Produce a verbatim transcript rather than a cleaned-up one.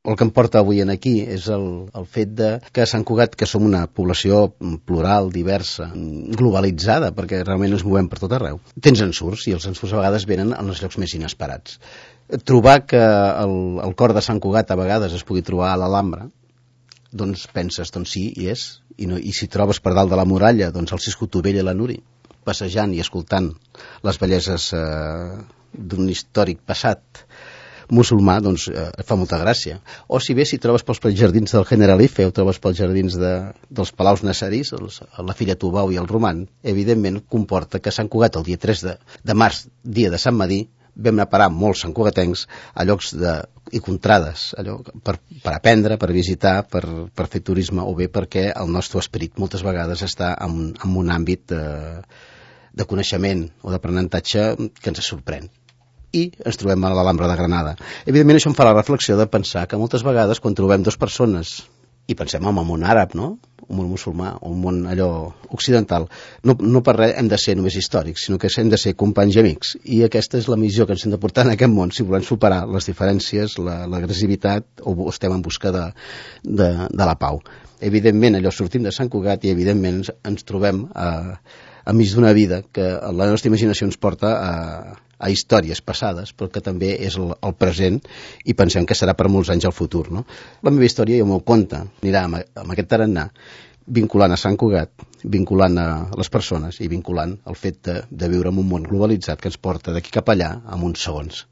El que em porta avui en aquí és el, el fet de que a Sant Cugat, que som una població plural, diversa, globalitzada, perquè realment ens movem per tot arreu, tens ensurts, i els ensurts a vegades venen en els llocs més inesperats. Trobar que el, el cor de Sant Cugat a vegades es pugui trobar a l'Alhambra, doncs penses, doncs sí, hi és, i, no, i si trobes per dalt de la muralla, doncs el Cisco Tovell i la Núria, passejant i escoltant les belleses eh, d'un històric passat musulmà, doncs eh, fa molta gràcia. O si bé si trobes pels jardins del Generalife o trobes pels jardins de, dels Palaus Nasserís, els, la Filla Tubau i el Roman, evidentment comporta que Sant Cugat el dia tres de, de març, dia de Sant Madí, vam anar a parar molts santcugatencs a llocs de, i contrades, allò, per, per aprendre, per visitar, per, per fer turisme, o bé perquè el nostre esperit moltes vegades està en, en un àmbit de, de coneixement o d'aprenentatge que ens sorprèn. I ens trobem a l'Alhambra de Granada. Evidentment això em fa la reflexió de pensar que moltes vegades quan trobem dues persones i pensem en el món àrab, no? Un món musulmà, un món allò occidental, no, no per res hem de ser només històrics, sinó que hem de ser companys i amics, i aquesta és la missió que ens hem de portar en aquest món, si volem superar les diferències, l'agressivitat, o estem en busca de, de, de la pau. Evidentment allò sortim de Sant Cugat i evidentment ens, ens trobem a, enmig d'una vida que la nostra imaginació ens porta a a històries passades, però que també és el, el present, i pensem que serà per molts anys el futur, no? La meva història, jo m'ho conta, anirà amb, amb aquest tarannà, vinculant a Sant Cugat, vinculant a les persones i vinculant el fet de, de viure en un món globalitzat que ens porta d'aquí cap allà en uns segons.